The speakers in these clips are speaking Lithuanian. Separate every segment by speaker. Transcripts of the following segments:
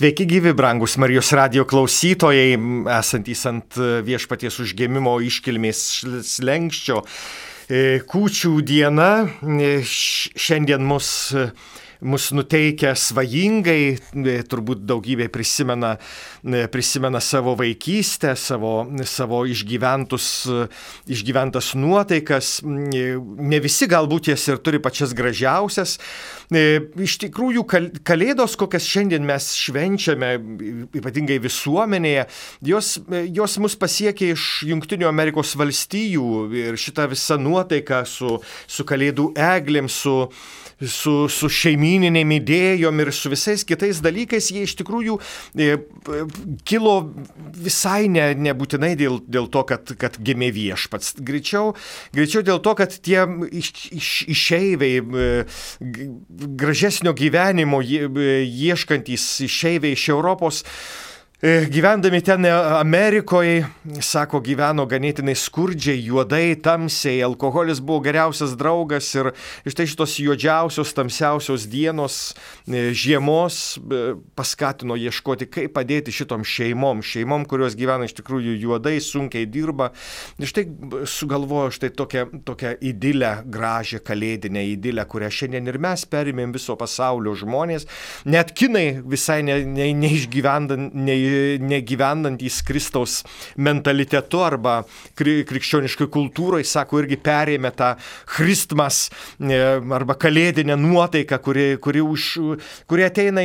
Speaker 1: Sveiki gyvi, brangus Marijos radijo klausytojai, esantys ant Viešpaties užgimimo iškilmės slenksčio. Kūčių diena šiandien mus nuteikia svajingai, turbūt daugybė prisimena savo vaikystę, savo išgyventas nuotaikas. Ne visi galbūt jas ir turi pačias gražiausias. Iš tikrųjų, kalėdos, kokias šiandien mes švenčiame, ypatingai visuomenėje, jos mus pasiekia iš Jungtinių Amerikos valstijų ir šita visa nuotaika su kalėdų eglėm, su šeimyninėm idėjom ir su visais kitais dalykais, jie iš tikrųjų kilo visai nebūtinai dėl to, kad gimė Viešpats. Greičiau dėl to, kad tie išeiviai, gražesnio gyvenimo ieškantys išeiviai iš Europos, gyvendami ten Amerikoje, sako, gyveno ganėtinai skurdžiai, juodai, tamsiai, alkoholis buvo geriausias draugas ir štai šitos juodžiausios, tamsiausios dienos, žiemos paskatino ieškoti, kaip padėti šitom šeimom, kurios gyvena iš tikrųjų juodai, sunkiai dirba. Ir štai sugalvojo štai tokią idilę, gražią kalėdinę idilę, kurią šiandien ir mes perimėm viso pasaulio žmonės, net kinai visai negyvendantys Kristaus mentalitetu arba krikščioniškai kultūrai, sako, irgi perėmė tą Christmas arba kalėdinę nuotaiką, kuri ateina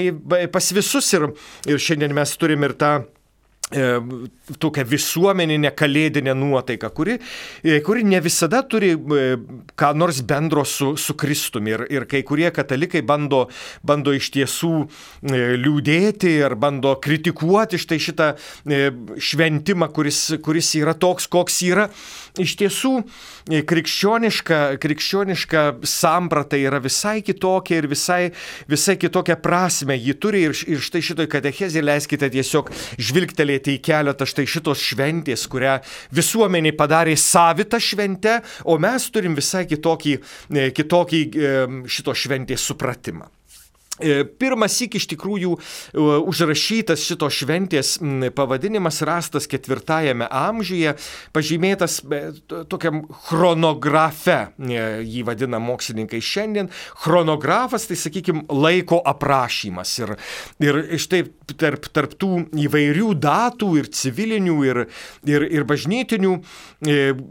Speaker 1: pas visus ir šiandien mes turim ir tą tokią visuomeninę kalėdinę nuotaiką, kuri ne visada turi ką nors bendro su Kristumi. Ir kai kurie katalikai bando iš tiesų liūdėti ar bando kritikuoti štai šitą šventimą, kuris yra toks, koks yra. Iš tiesų, krikščioniška samprata yra visai kitokia ir visai kitokia prasme ji turi. Ir štai šitoj katechezėje leiskite tiesiog žvilgtelėti į keletą štai šitos šventės, kurią visuomenė padarė savitą šventę, o mes turim visai kitokį šito šventės supratimą. Pirmąsyk iš tikrųjų užrašytas šito šventės pavadinimas rastas 4 amžiuje, pažymėtas tokiam chronografe, jį vadina mokslininkai šiandien. Chronografas, tai sakykime, laiko aprašymas. Ir štai tarp tų įvairių datų ir civilinių ir bažnytinių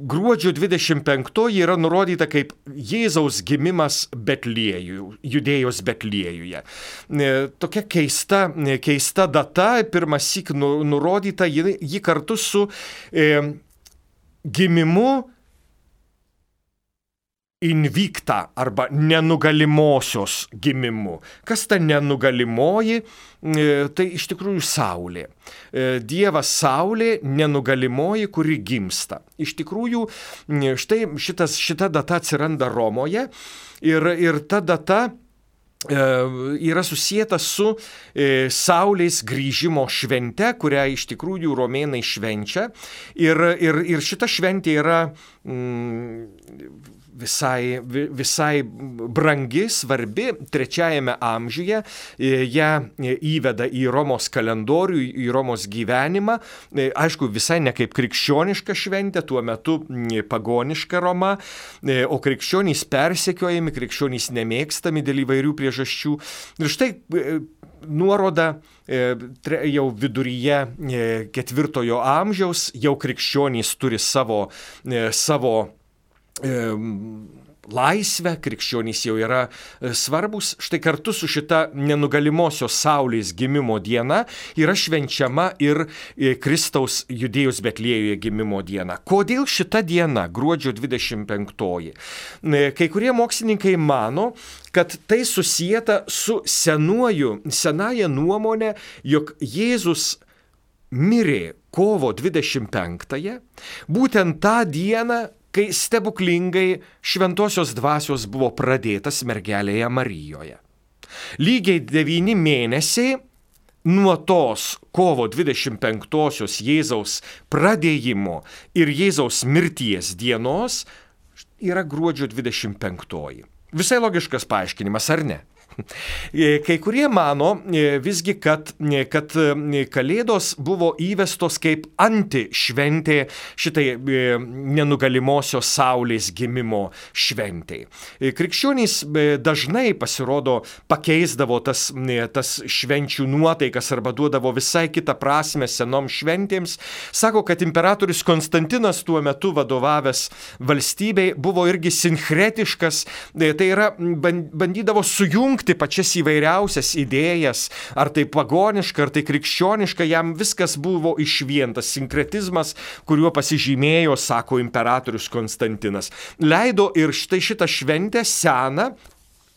Speaker 1: gruodžio 25 yra nurodyta kaip Jėzaus gimimas Judėjos Betliejuje. Tokia keista data, pirmąsyk nurodyta, ji kartu su gimimu invicta arba nenugalimosios gimimu. Kas ta nenugalimoji? Tai iš tikrųjų Saulė. Dievas Saulė, nenugalimoji, kuri gimsta. Iš tikrųjų, štai šita data atsiranda Romoje ir ta data yra susijęta su Saulės grįžimo švente, kurią iš tikrųjų romėnai švenčia. Ir šita šventė yra visai brangi, svarbi. 3 amžiuje ją įveda į Romos kalendorių, į Romos gyvenimą. Aišku, visai ne kaip krikščioniška šventė, tuo metu pagoniška Roma, o krikščionys persekiojami, krikščionys nemėgstami dėl įvairių priežasčių. Ir štai nuoroda jau viduryje 4 amžiaus, jau krikščionys turi savo laisvę, krikščionys jau yra svarbus. Štai kartu su šita nenugalimosios Saulės gimimo diena yra švenčiama ir Kristaus Judėjos Betliejuje gimimo diena. Kodėl šita diena, gruodžio 25? Kai kurie mokslininkai mano, kad tai susijęta su senąja nuomonė, jog Jėzus mirė kovo 25-ąją, būtent tą dieną, kai stebuklingai šventosios dvasios buvo pradėtas mergelėje Marijoje. Lygiai 9 mėnesiai nuo tos kovo 25-osios Jėzaus pradėjimo ir Jėzaus mirties dienos yra gruodžio 25-oji. Visai logiškas paaiškinimas, ar ne? Kai kurie mano visgi, kad Kalėdos buvo įvestos kaip antišventė šitai nenugalimosios saulės gimimo šventei. Krikščionys dažnai pasirodo pakeisdavo tas švenčių nuotaikas arba duodavo visai kitą prasme senom šventėms. Sako, kad imperatorius Konstantinas tuo metu vadovavęs valstybei buvo irgi sinkretiškas, tai yra bandydavo sujungti pačias įvairiausias idėjas, ar tai pagoniška, ar tai krikščioniška, jam viskas buvo išvien, tas sinkretizmas, kuriuo pasižymėjo, sako imperatorius Konstantinas. Leido ir štai šitą šventę seną,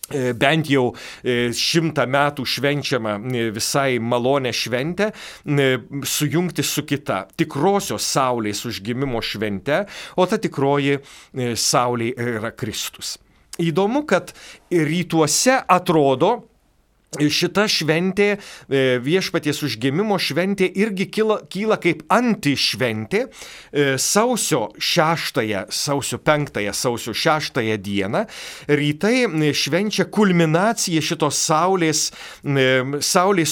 Speaker 1: bent jau 100 metų švenčiama visai malonę šventę, sujungti su kita tikrosios saulės užgimimo švente, o ta tikroji saulė yra Kristus. Įdomu, kad rytuose atrodo, šita šventė, viešpaties užgimimo šventė irgi kyla kaip antišventė sausio 5, sausio 6 dieną. Rytai švenčia kulminaciją šitos saulės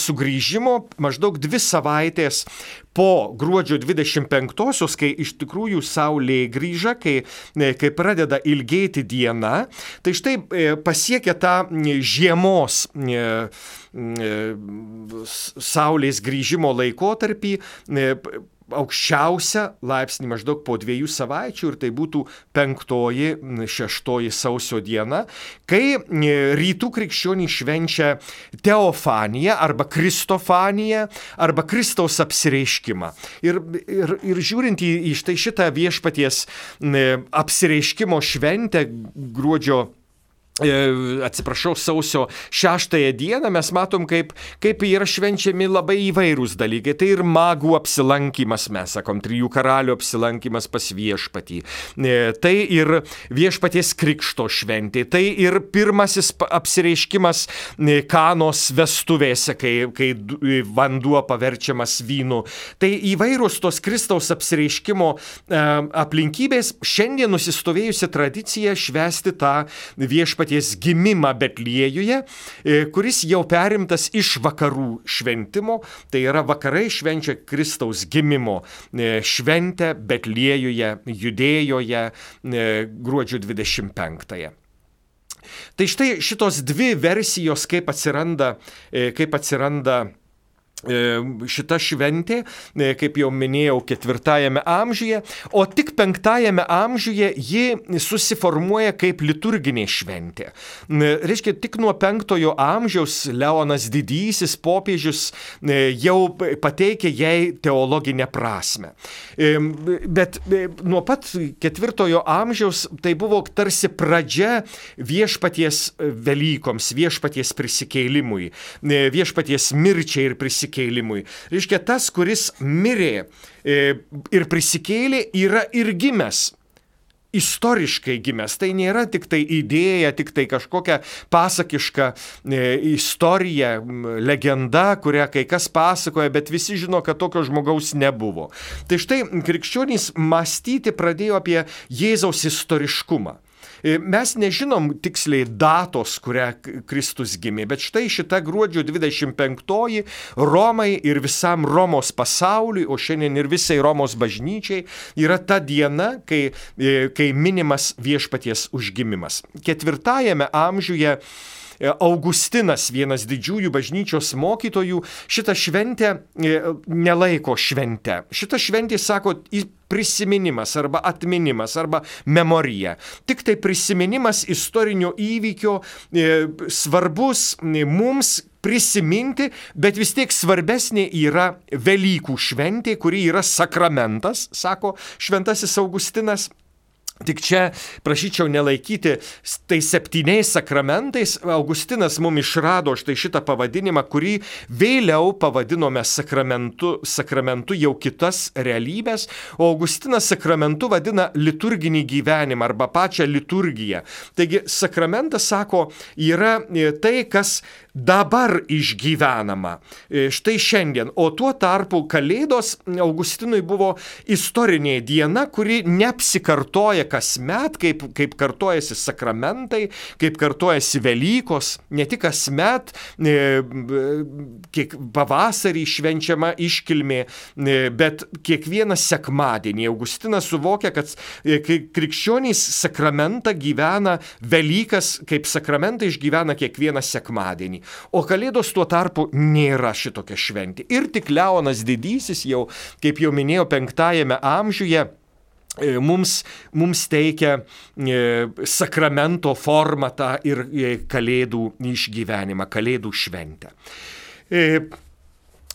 Speaker 1: sugrįžimo maždaug 2 savaitės po gruodžio 25-osios, kai iš tikrųjų saulė grįža, kai pradeda ilgėti diena, tai štai pasiekia tą žiemos saulės grįžimo laikotarpį aukščiausią laipsnį maždaug po 2 savaičių, ir tai būtų 5-6 sausio diena, kai rytų krikščionys švenčia teofaniją arba kristofaniją arba Kristaus apsireiškimą. Ir žiūrint į štai šitą viešpaties apsireiškimo šventę sausio 6 dieną, mes matom, kaip yra švenčiami labai įvairūs dalykai. Tai ir magų apsilankimas, mes sakom, 3 karalių apsilankimas pas viešpatį. Tai ir viešpaties krikšto šventė. Tai ir pirmasis apsireiškimas Kanos vestuvėse, kai vanduo paverčiamas vynu. Tai įvairūs tos Kristaus apsireiškimo aplinkybės. Šiandien nusistovėjusi tradicija švęsti tą viešpatį gimimą Betliejuje, kuris jau perimtas iš vakarų šventimo, tai yra vakarai švenčia Kristaus gimimo šventę Betliejuje, Judėjoje, gruodžio 25. Tai štai šitos 2 versijos, kaip atsiranda šita šventė, kaip jau minėjau, 4 amžiuje, o tik 5 amžiuje ji susiformuoja kaip liturginė šventė. Reiškia, tik nuo 5 amžiaus Leonas Didysis popiežius jau pateikė jai teologinę prasme. Bet nuo pat 4 amžiaus tai buvo tarsi pradžia viešpaties Velykoms, viešpaties prisikėlimui, viešpaties mirčiai ir prisikėlimui. Reiškia, tas, kuris mirė ir prisikėlė, yra ir gimęs. Istoriškai gimęs. Tai nėra tik tai idėja, tik tai kažkokia pasakiška istorija, legenda, kurią kai kas pasakoja, bet visi žino, kad tokio žmogaus nebuvo. Tai štai krikščionys mąstyti pradėjo apie Jėzaus istoriškumą. Mes nežinom tiksliai datos, kurią Kristus gimė, bet štai šita gruodžio 25 Romai ir visam Romos pasauliui, o šiandien ir visai Romos bažnyčiai, yra ta diena, kai minimas viešpaties užgimimas. 4 amžiuje Augustinas, vienas didžiųjų bažnyčios mokytojų, šitą šventę nelaiko švente. Šitą šventę, sako, prisiminimas arba atminimas arba memorija. Tik tai prisiminimas istorinio įvykio svarbus mums prisiminti, bet vis tiek svarbesnė yra Velykų šventė, kuri yra sakramentas, sako šventasis Augustinas. Tik čia prašyčiau nelaikyti tai 7 sakramentais. Augustinas mums išrado štai šitą pavadinimą, kurį vėliau pavadinome sakramentu jau kitas realybės, o Augustinas sakramentu vadina liturginį gyvenimą arba pačią liturgiją. Taigi sakramentas, sako, yra tai, kas dabar išgyvenama. Štai šiandien. O tuo tarpu Kalėdos Augustinui buvo istorinė diena, kuri neapsikartoja kasmet, kaip kartojasi sakramentai, kaip kartojasi Velykos, ne tik kasmet, kiek pavasarį švenčiama iškilmė, bet kiekvieną sekmadienį. Augustinas suvokia, kad krikščionys sakramentą gyvena, Velykas kaip sakramentą išgyvena kiekvieną sekmadienį. O Kalėdos tuo tarpu nėra šitokia šventė. Ir tik Leonas Didysis jau, kaip jau minėjau, 5 amžiuje mums teikia sakramento formatą ir Kalėdų išgyvenimą, Kalėdų šventę.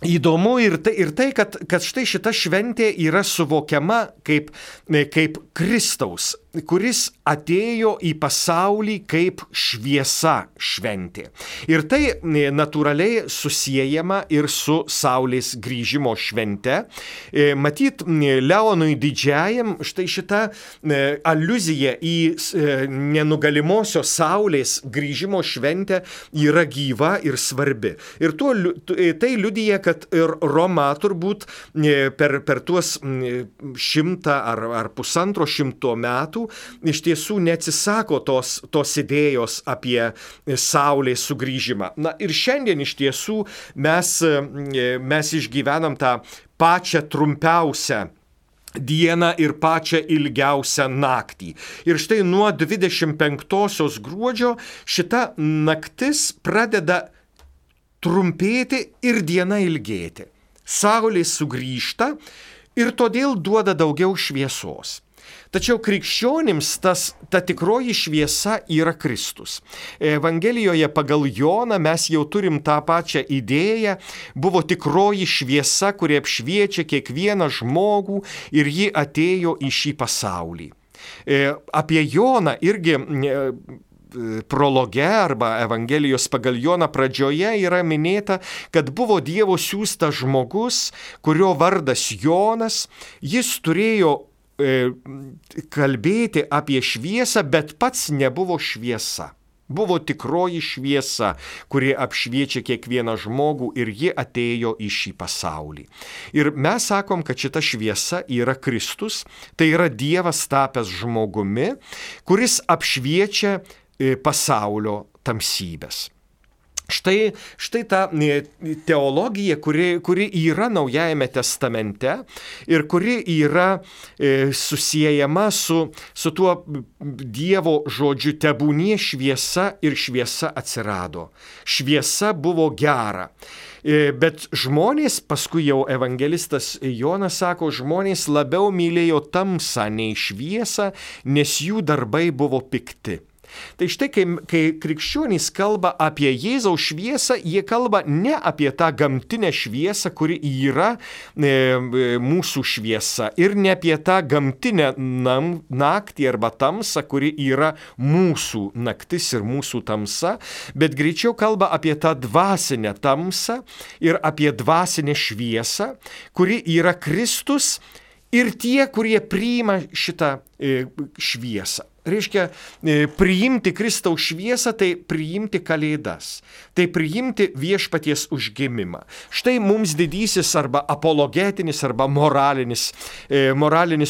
Speaker 1: Įdomu ir tai kad štai šita šventė yra suvokiama kaip Kristaus, kuris atėjo į pasaulį kaip šviesa šventė. Ir tai natūraliai susiejama ir su Saulės grįžimo švente. Matyt, Leonui Didžiajam štai šita aliuzija į nenugalimosios Saulės grįžimo šventę yra gyva ir svarbi. Ir tai liudija, kad ir Roma turbūt per tuos 100 ar 150 metų iš tiesų neatsisako tos idėjos apie Saulės sugrįžimą. Na ir šiandien iš tiesų mes išgyvenam tą pačią trumpiausią dieną ir pačią ilgiausią naktį. Ir štai nuo 25 gruodžio šita naktis pradeda trumpėti ir diena ilgėti. Saulė sugrįžta ir todėl duoda daugiau šviesos. Tačiau krikščionims ta tikroji šviesa yra Kristus. Evangelijoje pagal Joną mes jau turim tą pačią idėją, buvo tikroji šviesa, kuri apšviečia kiekvieną žmogų ir ji atėjo į šį pasaulį. Apie Joną irgi prologe arba Evangelijos pagal Joną pradžioje yra minėta, kad buvo Dievo siųstas žmogus, kurio vardas Jonas, jis turėjo kalbėti apie šviesą, bet pats nebuvo šviesa. Buvo tikroji šviesa, kuri apšviečia kiekvieną žmogų ir ji atėjo į šį pasaulį. Ir mes sakom, kad šita šviesa yra Kristus, tai yra Dievas tapęs žmogumi, kuris apšviečia pasaulio tamsybės. Štai ta teologija, kuri yra Naujajame testamente ir kuri yra susiejama su tuo Dievo žodžiu tebūnie šviesa ir šviesa atsirado. Šviesa buvo gera. Bet žmonės, paskui jau evangelistas Jonas sako, žmonės labiau mylėjo tamsą nei šviesą, nes jų darbai buvo pikti. Tai štai, kai krikščionys kalba apie Jėzaus šviesą, jie kalba ne apie tą gamtinę šviesą, kuri yra mūsų šviesa, ir ne apie tą gamtinę naktį arba tamsą, kuri yra mūsų naktis ir mūsų tamsa, bet greičiau kalba apie tą dvasinę tamsą ir apie dvasinę šviesą, kuri yra Kristus ir tie, kurie priima šitą šviesą. Reiškia, priimti Kristaus šviesą, tai priimti Kalėdas, tai priimti viešpaties užgimimą. Štai mums didysis arba apologetinis arba moralinis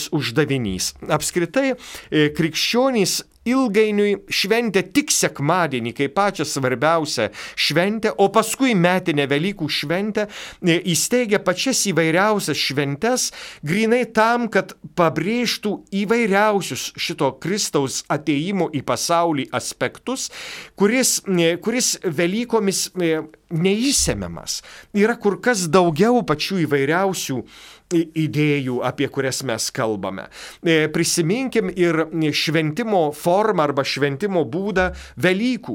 Speaker 1: uždavinys. Apskritai, krikščionys ilgainiui šventė tik sekmadienį, kaip pačią svarbiausią šventę, o paskui metinę Velykų šventę įsteigė pačias įvairiausias šventes, grinai tam, kad pabrėžtų įvairiausius šito Kristaus atėjimo į pasaulį aspektus, kuris Velykomis neįsemiamas. Yra kur kas daugiau pačių įvairiausių idėjų, apie kurias mes kalbame. Prisiminkim ir šventimo formą arba šventimo būdą Velykų.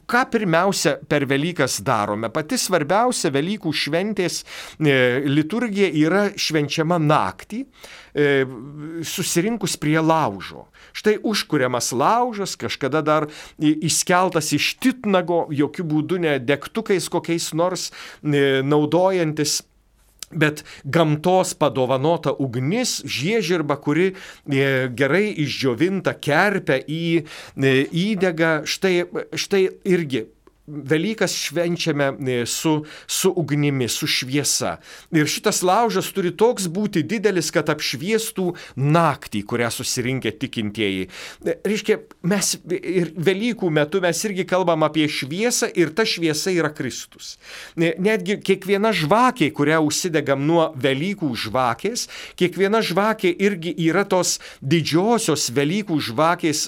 Speaker 1: Ką pirmiausia per Velykas darome? Pati svarbiausia Velykų šventės liturgija yra švenčiama naktį, susirinkus prie laužo. Štai užkuriamas laužas, kažkada dar įskeltas iš titnago, jokių būdų ne degtukais kokiais nors naudojantis, bet gamtos padovanota ugnis, žiežirba, kuri gerai išdžiovinta kerpia įdega, štai irgi Velykas švenčiame su ugnimi, su šviesa. Ir šitas laužas turi toks būti didelis, kad apšviestų naktį, kurią susirinkę tikintieji. Reiškia, mes ir Velykų metu mes irgi kalbam apie šviesą ir ta šviesa yra Kristus. Netgi kiekviena žvakė, kurią užsidegam nuo Velykų žvakės, kiekviena žvakė irgi yra tos didžiosios Velykų žvakės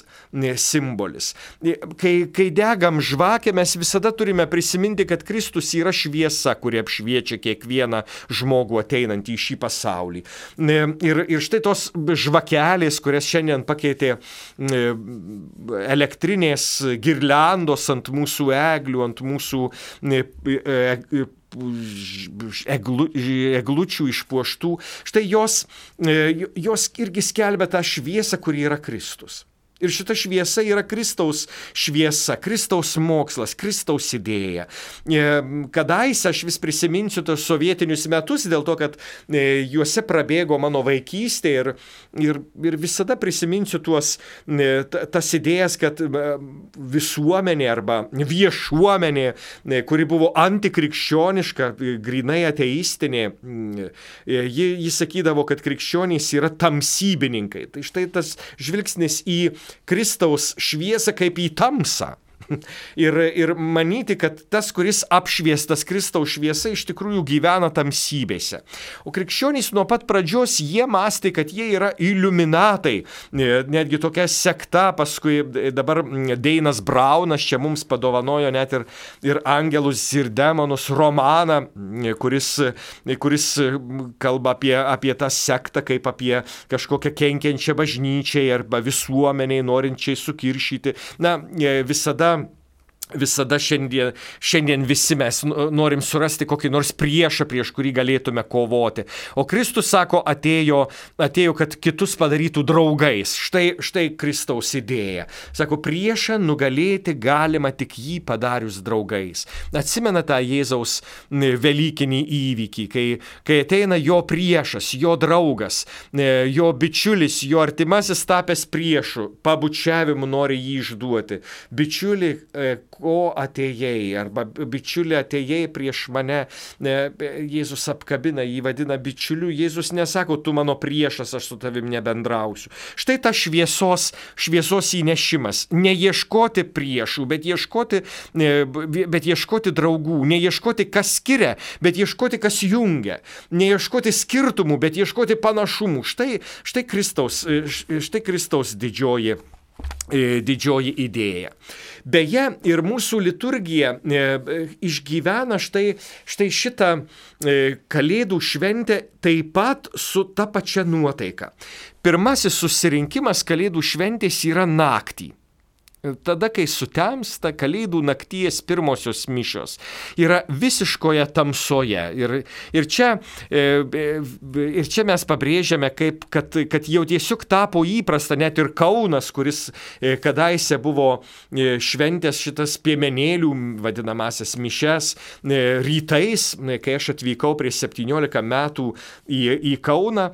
Speaker 1: simbolis. Kai degam žvakę, mes visada turime prisiminti, kad Kristus yra šviesa, kuri apšviečia kiekvieną žmogų ateinantį į šį pasaulį. Ir štai tos žvakelės, kurias šiandien pakeitė elektrinės girliandos ant mūsų eglių, ant mūsų eglučių išpuoštų, štai jos irgi skelbia tą šviesą, kuri yra Kristus. Ir šita šviesa yra Kristaus šviesa, Kristaus mokslas, Kristaus idėja. Kadaise aš vis prisiminsiu tos sovietinius metus, dėl to, kad juose prabėgo mano vaikystė ir visada prisiminsiu tas idėjas, kad visuomenė arba viešuomenė, kuri buvo antikrikščioniška, grinai ateistinė, ji sakydavo, kad krikščionys yra tamsybininkai. Tai štai tas žvilgsnis į Kristaus šviesą kaip į tamsą. Ir manyti, kad tas, kuris apšviestas Kristaus šviesa, iš tikrųjų gyvena tamsybėse. O krikščionys nuo pat pradžios jie mąstė, kad jie yra iliuminatai. Netgi tokia sekta, paskui dabar Deinas Braunas čia mums padovanojo net ir Angelus ir demonus romaną, kuris kalba apie tą sektą kaip apie kažkokią kenkiančią bažnyčiai arba visuomeniai norinčiai sukiršyti. Na, visada šiandien visi mes norim surasti kokį nors priešą, prieš kurį galėtume kovoti. O Kristus sako, atėjo, kad kitus padarytų draugais. Štai Kristaus idėja. Sako, priešą nugalėti galima tik jį padarius draugais. Atsimena tą Jėzaus velykinį įvykį, kai ateina jo priešas, jo draugas, jo bičiulis, jo artimasis tapęs priešu, pabučiavimu nori jį išduoti. Bičiuli, ko atėjai, arba bičiuli atėjai prieš mane, Jėzus apkabina, jį vadina bičiuliu, Jėzus nesako, tu mano priešas, aš su tavim nebendrausiu. Štai ta šviesos įnešimas, neieškoti priešų, bet ieškoti draugų, neieškoti kas skiria, bet ieškoti kas jungia, neieškoti skirtumų, bet ieškoti panašumų. Štai Kristaus didžioji idėja. Beje, ir mūsų liturgija išgyvena štai šitą Kalėdų šventę taip pat su ta pačia nuotaika. Pirmasis susirinkimas Kalėdų šventės yra naktį. Tada, kai sutemsta, Kalėdų nakties pirmosios mišios yra visiškoje tamsoje. Ir čia mes pabrėžiame, kad jau tiesiog tapo įprasta, net ir Kaunas, kuris kadaise buvo šventęs šitas piemenėlių vadinamasias mišias rytais, kai aš atvykau prieš 17 metų į Kauną,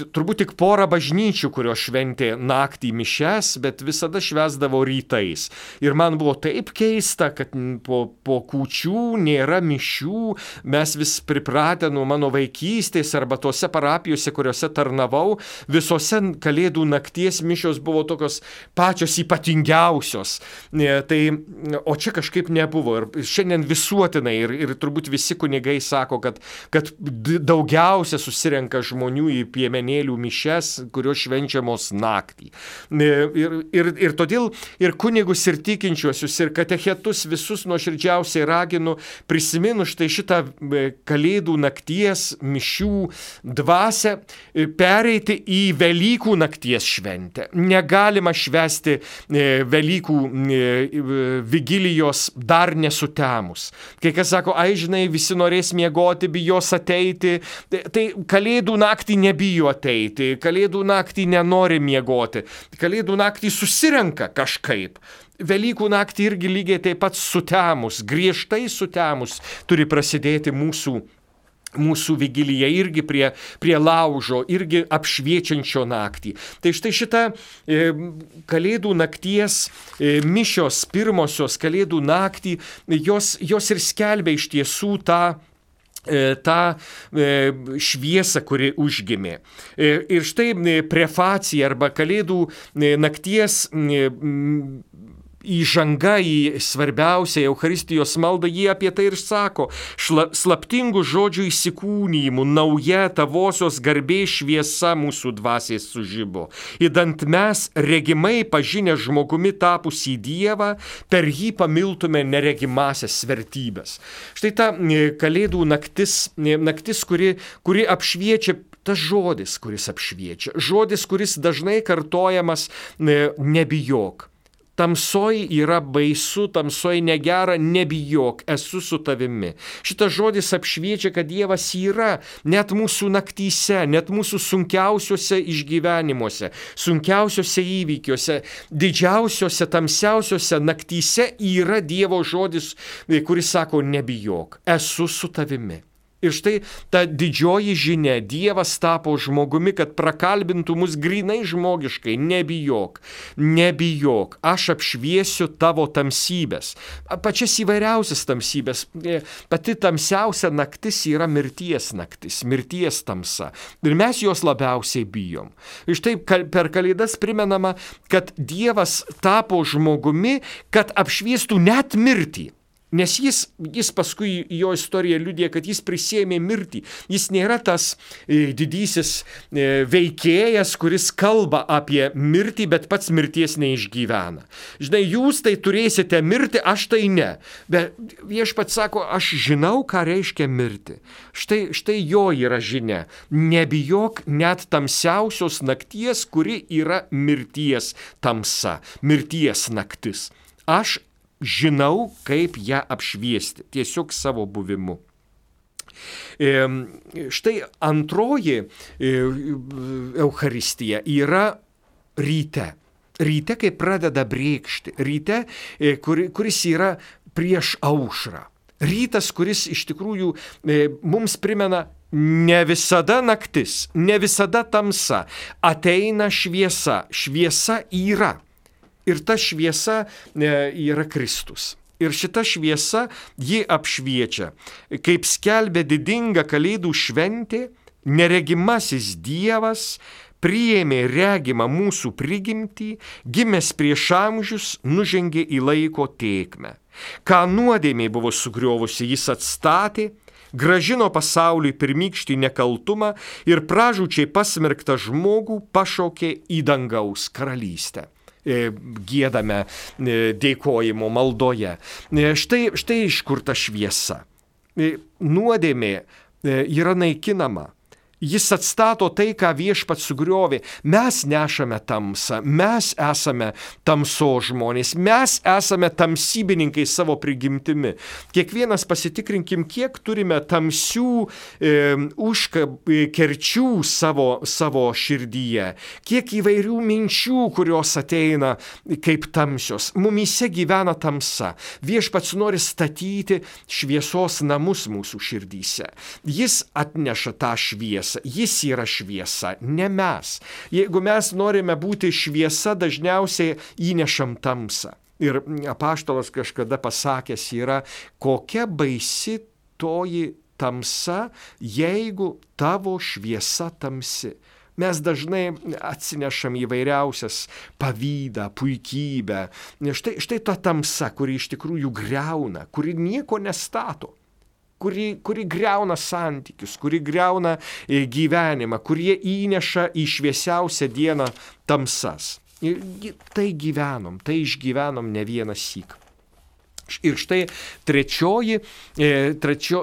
Speaker 1: turbūt tik porą bažnyčių, kurios šventė naktį mišias, bet visada švęsdavo rytais. Ir man buvo taip keista, kad po kūčių nėra mišių, mes vis pripratę nuo mano vaikystės arba tose parapijose, kuriuose tarnavau, visose Kalėdų nakties mišios buvo tokios pačios ypatingiausios. O čia kažkaip nebuvo. Ir šiandien visuotinai ir turbūt visi kunigai sako, kad daugiausia susirenka žmonių į piemenėlių mišias, kurios švenčiamos naktį. Ir todėl ir kunigus, ir tikinčiuosius, ir katechetus visus nuoširdžiausiai raginu, prisiminus štai šitą Kalėdų nakties mišių dvasią, pereiti į Velykų nakties šventę. Negalima švęsti Velykų vigilijos dar nesutemus. Kai kas sako, žinai, visi norės miegoti, bijos ateiti, tai Kalėdų naktį nebijo ateiti, Kalėdų naktį nenori miegoti, Kalėdų naktį susirenka kažkaip. Velykų naktį irgi lygiai taip pat sutemus, griežtai sutemus turi prasidėti mūsų mūsų vigilija irgi prie laužo, irgi apšviečiančio naktį. Tai štai šita kalėdų nakties mišios, pirmosios kalėdų naktį, jos ir skelbia iš tiesų tą šviesą, kuri užgimė. Ir štai prefacija arba kalėdų nakties įžanga į svarbiausią Eucharistijos maldą, jie apie tai ir sako: slaptingų žodžių įsikūnijimų nauja tavosios garbės šviesa mūsų dvasiai sužibo. Įdant mes, regimai pažinę žmogumi tapusį Dievą, per jį pamiltume neregimasias vertybės. Štai ta kalėdų naktis, kuri apšviečia, tas žodis, kuris apšviečia. Žodis, kuris dažnai kartojamas: nebijok. Tamsoj yra baisu, tamsoj negera, nebijok, esu su tavimi. Šitas žodis apšviečia, kad Dievas yra net mūsų naktyse, net mūsų sunkiausiuose išgyvenimuose, sunkiausiuose įvykiuose, didžiausiuose, tamsiausiuose naktyse yra Dievo žodis, kuris sako: nebijok, esu su tavimi. Ir štai ta didžioji žinia, Dievas tapo žmogumi, kad prakalbintų mus grinai žmogiškai: nebijok, nebijok, aš apšviesiu tavo tamsybės. Pačias įvairiausias tamsybės. Pati tamsiausia naktis yra mirties naktis, mirties tamsa. Ir mes jos labiausiai bijom. Ir štai per Kalėdas primenama, kad Dievas tapo žmogumi, kad apšviestų net mirtį. Nes jis paskui jo istorija liudija, kad jis prisėmė mirtį. Jis nėra tas didysis veikėjas, kuris kalba apie mirtį, bet pats mirties neišgyvena. Žinai, jūs tai turėsite mirti, aš tai ne. Bet viešpats sako: aš žinau, ką reiškia mirti. Štai jo yra žinia. Nebijok net tamsiausios nakties, kuri yra mirties tamsa, mirties naktis. Aš žinau, kaip ją apšviesti, tiesiog savo buvimu. Štai antroji Eucharistija yra ryte. Ryte, kai pradeda brėkšti. Ryte, kuris yra prieš aušrą. Rytas, kuris iš tikrųjų mums primena: ne visada naktis, ne visada tamsa, ateina šviesa. Šviesa yra. Ir ta šviesa yra Kristus. Ir šita šviesa ji apšviečia. Kaip skelbia didinga Kalėdų šventė, neregimasis Dievas priėmė regimą mūsų prigimtį, gimęs prieš amžius, nužengė į laiko tėkmę. Ką nuodėmė buvo sugriovusi, jis atstatė, grąžino pasauliui pirmykštį nekaltumą ir pražūčiai pasmerktą žmogų pašaukė į dangaus karalystę. Giedame dėkojimo maldoje. Štai iš kur ta šviesa. Nuodėmė yra naikinama. Jis atstato tai, ką viešpats sugriovė. Mes nešame tamsą, mes esame tamsos žmonės, mes esame tamsybininkai savo prigimtimi. Kiekvienas pasitikrinkim, kiek turime tamsių kerčių savo širdyje, kiek įvairių minčių, kurios ateina kaip tamsios. Mumyse gyvena tamsa. Viešpats nori statyti šviesos namus mūsų širdyse. Jis atneša tą šviesą. Jis yra šviesa, ne mes. Jeigu mes norime būti šviesa, dažniausiai įnešam tamsą. Ir apaštalas kažkada pasakęs yra: kokia baisi toji tamsa, jeigu tavo šviesa tamsi. Mes dažnai atsinešam įvairiausias pavydą, puikybę. Štai ta tamsa, kuri iš tikrųjų griauna, kuri nieko nestato. Kuri griauna santykius, kuri griauna gyvenimą, kurie įneša į šviesiausią dieną tamsas. Tai gyvenom, tai išgyvenom ne vieną syk. Ir štai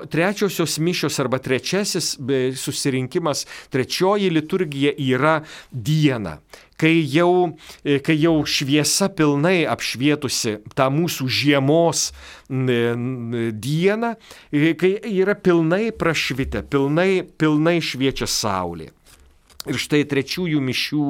Speaker 1: trečiosios mišios arba trečiasis susirinkimas, trečioji liturgija yra diena. Kai jau šviesa pilnai apšvietusi tą mūsų žiemos dieną, kai yra pilnai prašvitę, pilnai šviečia saulė. Ir štai trečiųjų mišių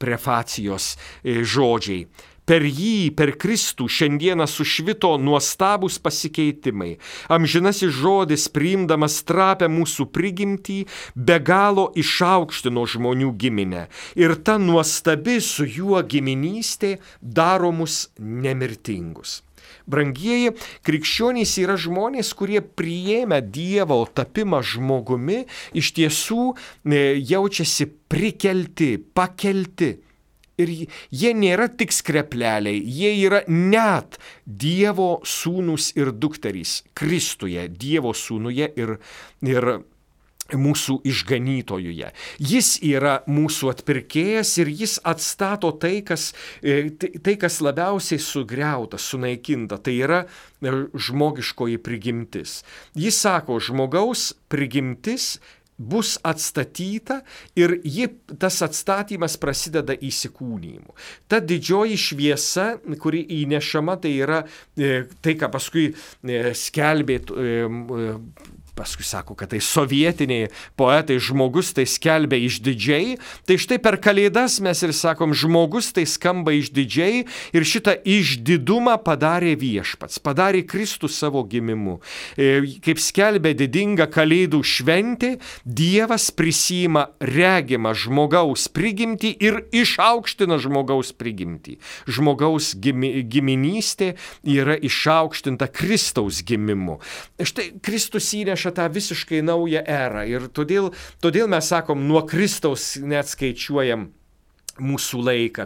Speaker 1: prefacijos žodžiai. Per jį, per Kristų šiandieną sušvito nuostabūs pasikeitimai. Amžinasis žodis, priimdamas trapę mūsų prigimtį, be galo išaukštino žmonių giminę. Ir ta nuostabi su juo giminystė daro mus nemirtingus. Brangieji, krikščionys yra žmonės, kurie priėmę Dievo tapimą žmogumi, iš tiesų jaučiasi prikelti, pakelti. Ir jie nėra tik skrepleliai, jie yra net Dievo sūnus ir dukterys Kristuje, Dievo sūnuje ir mūsų išganytojuje. Jis yra mūsų atpirkėjas ir jis atstato tai, kas labiausiai sugriauta, sunaikinta. Tai yra žmogiškoji prigimtis. Jis sako, žmogaus prigimtis bus atstatyta ir tas atstatymas prasideda įsikūnijimu. Ta didžioji šviesa, kuri įnešama, tai yra tai, ką paskui skelbė, paskui sako, kad tai sovietiniai poetai, žmogus tai skelbia išdidžiai, tai štai per Kalėdas mes ir sakom, žmogus tai skamba išdidžiai ir šitą išdidumą padarė Viešpats, padarė Kristus savo gimimu. Kaip skelbia didinga Kalėdų šventė, Dievas prisiima regimą žmogaus prigimtį ir išaukština žmogaus prigimtį. Žmogaus giminystė yra išaukštinta Kristaus gimimu. Štai Kristus įneša tą visiškai naują erą ir todėl mes sakom, nuo Kristaus neatskaičiuojam mūsų laiką,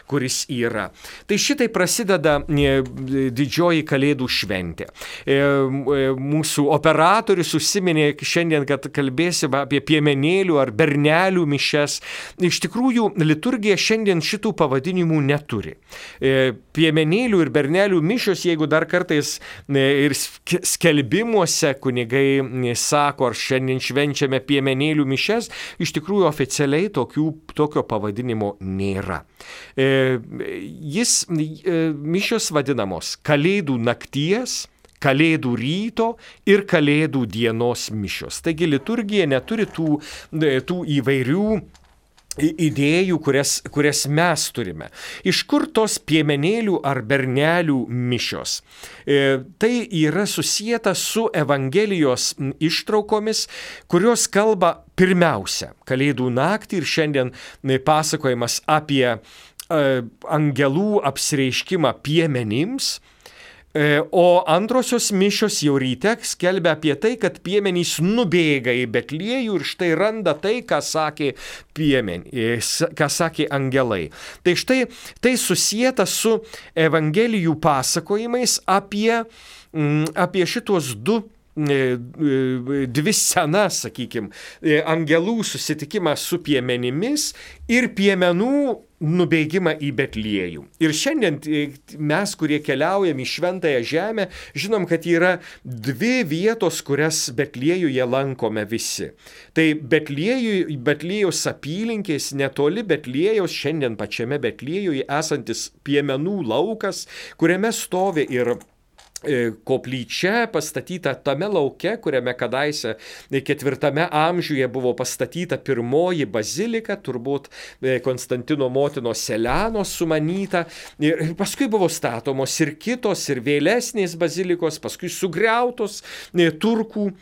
Speaker 1: kuris yra. Tai šitai prasideda didžioji Kalėdų šventė. Mūsų operatorius užsiminė šiandien, kad kalbėsime apie piemenėlių ar bernelių mišias. Iš tikrųjų, liturgija šiandien šitų pavadinimų neturi. Piemenėlių ir bernelių mišios, jeigu dar kartais ir skelbimuose kunigai sako, ar šiandien švenčiame piemenėlių mišias, iš tikrųjų oficialiai tokio pavadinimo nėra. Mišios vadinamos Kalėdų nakties, Kalėdų ryto ir Kalėdų dienos mišios. Taigi liturgija neturi tų įvairių idėjų, kurias mes turime. Iš kur tos piemenėlių ar bernelių mišios? Tai yra susijęta su Evangelijos ištraukomis, kurios kalba pirmiausia Kalėdų naktį ir šiandien pasakojimas apie angelų apsireiškimą piemenims. O antrosios mišios jau ryte skelbia apie tai, kad piemenys nubėga į Betliejų ir štai randa tai, ką sakė angelai. Tai štai tai susijęta su Evangelijų pasakojimais apie šitos dvi scenas, sakykime, angelų susitikimą su piemenimis ir piemenų nubėgimą į Betliejų. Ir šiandien mes, kurie keliaujam į Šventąją žemę, žinom, kad yra dvi vietos, kurias Betliejuje lankome visi. Tai Betliejaus apylinkės, netoli Betliejaus, šiandien pačiame Betliejuje esantis piemenų laukas, kuriame stovi ir koplyčia pastatyta tame lauke, kuriame kadaise 4 amžiuje buvo pastatyta pirmoji bazilika, turbūt Konstantino motinos Selenos sumanyta. Ir paskui buvo statomos ir kitos, ir vėlesnės bazilikos, paskui sugriautos turkų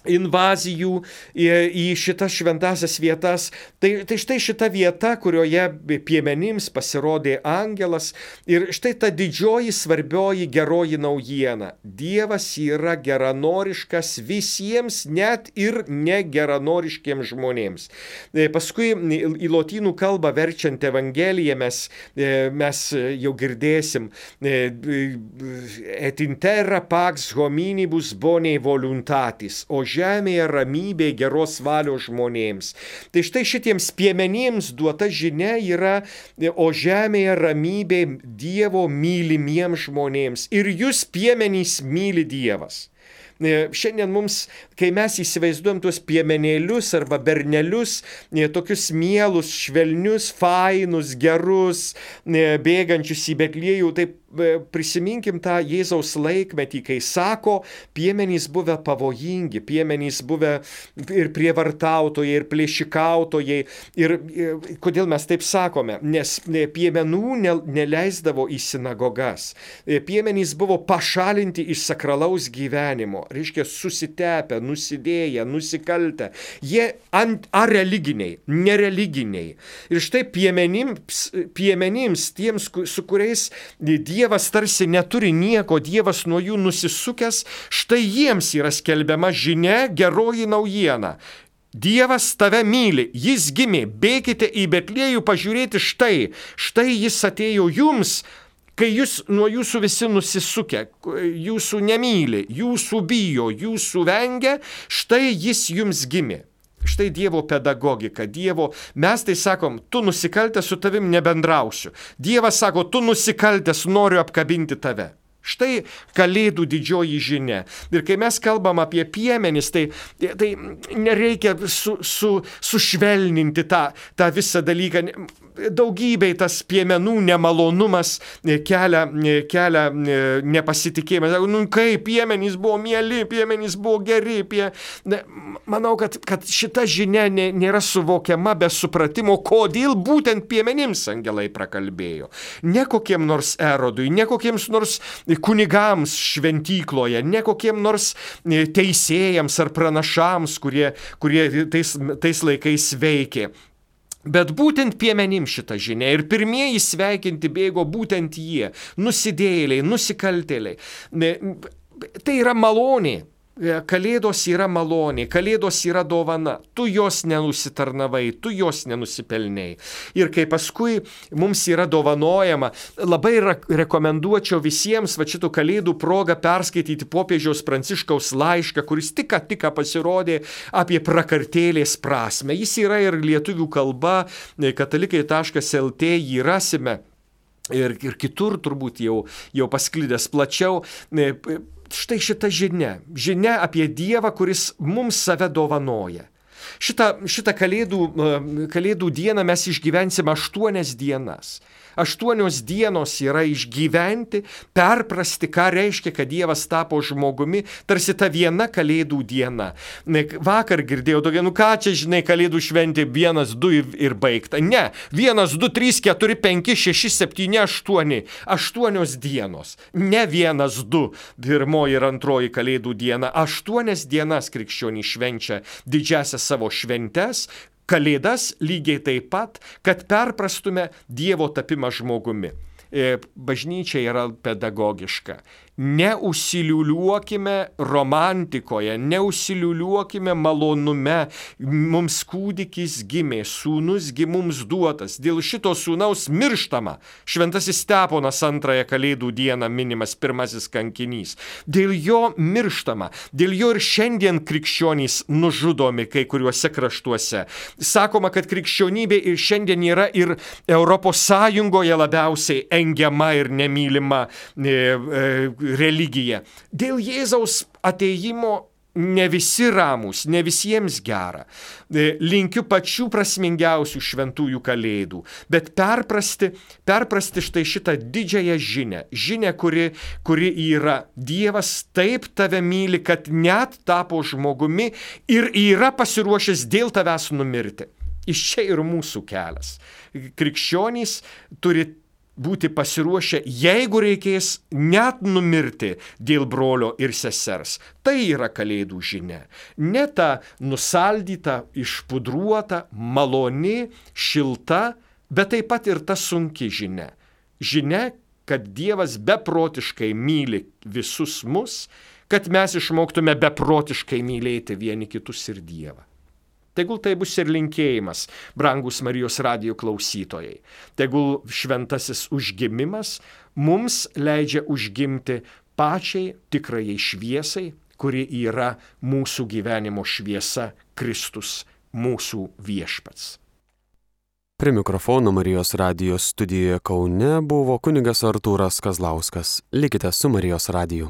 Speaker 1: invazijų į šitas šventasias vietas. Tai štai šita vieta, kurioje piemenims pasirodė angelas ir štai ta didžioji svarbioji geroji naujiena. Dievas yra geranoriškas visiems, net ir negeranoriškiems žmonėms. Paskui į lotynų kalbą verčiant Evangeliją mes jau girdėsim et in terra pax hominibus bone voluntatis, o žemėje ramybė geros valios žmonėms. Tai štai šitiems piemenims duota žinia yra, o žemėje ramybė Dievo mylimiems žmonėms. Ir jūs piemenys myli Dievas. Šiandien mums, kai mes įsivaizduojam tuos piemenėlius arba bernelius, tokius mielus, švelnius, fainus, gerus, bėgančius į Betliejų, taip prisiminkim tą Jėzaus laikmetį, kai sako, piemenys buvę pavojingi, piemenys buvę ir prievartautojai, ir plėšikautojai. Ir kodėl mes taip sakome? Nes piemenų neleisdavo į sinagogas. Piemenys buvo pašalinti iš sakralaus gyvenimo, reiškia susitepę, nusidėję, nusikaltę. Jie areliginiai, nereliginiai. Ir štai piemenims, tiems, su kuriais Dievas tarsi neturi nieko, Dievas nuo jų nusisukęs, štai jiems yra skelbiama žinia, geroji naujiena. Dievas tave myli, jis gimė, bėkite į Betliejų pažiūrėti štai jis atėjo jums, kai jūs nuo jūsų visi nusisukę, jūsų nemyli, jūsų bijo, jūsų vengia, štai jis jums gimė. Štai Dievo pedagogika, mes tai sakom, tu nusikaltęs, su tavim nebendrausiu. Dievas sako, tu nusikaltęs, noriu apkabinti tave. Štai Kalėdų didžioji žinia. Ir kai mes kalbam apie piemenis, tai nereikia sušvelninti tą visą dalyką. Daugybei tas piemenų nemalonumas kelia nepasitikėjimą. Kaip piemenys buvo mieli, piemenys buvo geri. Manau, kad šita žinia nėra suvokiama be supratimo, kodėl būtent piemenims angelai prakalbėjo. Ne kokiem nors Erodui, ne kokiems nors kunigams šventykloje, ne kokiem nors teisėjams ar pranašams, kurie tais laikais veikė. Bet būtent piemenims šita žinia ir pirmieji sveikinti bėgo būtent jie, nusidėjėliai, nusikaltėliai. Tai yra malonė. Kalėdos yra malonė, Kalėdos yra dovana, tu jos nenusitarnavai, tu jos nenusipelnei. Ir kai paskui mums yra dovanojama, labai rekomenduočiau visiems šitų Kalėdų progą perskaityti popiežiaus Pranciškaus laišką, kuris tik pasirodė apie prakartėlės prasme. Jis yra ir lietuvių kalba, katalikai.lt jį rasime. Ir kitur turbūt jau pasklidęs plačiau. Štai šita žinia apie Dievą, kuris mums save dovanoja. Šitą kalėdų dieną mes išgyvensime 8 dienas. 8 dienos yra išgyventi, perprasti, ką reiškia, kad Dievas tapo žmogumi, tarsi ta viena Kalėdų diena. Vakar girdėjau tokia, ką čia, žinai, Kalėdų šventė 1, 2 ir baigta. Ne, 1, 2, 3, 4, 5, 6, 7, 8. 8 dienos. Ne 1, 2, pirmoji ir antroji Kalėdų diena. 8 dienas krikščionys švenčia didžiasias savo šventes, Kalėdas lygiai taip pat, kad perprastume Dievo tapimą žmogumi. Bažnyčia yra pedagogiška. Neužsiliuliuokime romantikoje, neužsiliuliuokime malonume. Mums kūdikis gimė, sūnus mums duotas. Dėl šito sūnaus mirštama. Šventasis Steponas 2 Kalėdų dieną minimas pirmasis kankinys. Dėl jo mirštama. Dėl jo ir šiandien krikščionys nužudomi kai kuriuose kraštuose. Sakoma, kad krikščionybė ir šiandien yra ir Europos Sąjungoje labiausiai engiama ir nemylima religija. Dėl Jėzaus atėjimo ne visi ramūs, ne visiems gera. Linkiu pačių prasmingiausių šventųjų Kalėdų, bet perprasti štai šitą didžiąją žinią, kuri yra Dievas taip tave myli, kad net tapo žmogumi ir yra pasiruošęs dėl tavęs numirti. Iš čia ir mūsų kelias. Krikščionys turi būti pasiruošę, jeigu reikės, net numirti dėl brolio ir sesers. Tai yra Kalėdų žinia. Ne ta nusaldyta, išpudruota, maloni, šilta, bet taip pat ir ta sunki žinia. Žinia, kad Dievas beprotiškai myli visus mus, kad mes išmoktume beprotiškai mylėti vieni kitus ir Dievą. Tegul tai bus ir linkėjimas, brangus Marijos radijo klausytojai. Tegul šventasis užgimimas mums leidžia užgimti pačiai tikrajai šviesai, kuri yra mūsų gyvenimo šviesa, Kristus, mūsų viešpats.
Speaker 2: Prie mikrofono Marijos radijo studijoje Kaune buvo kunigas Artūras Kazlauskas. Likite su Marijos radiju.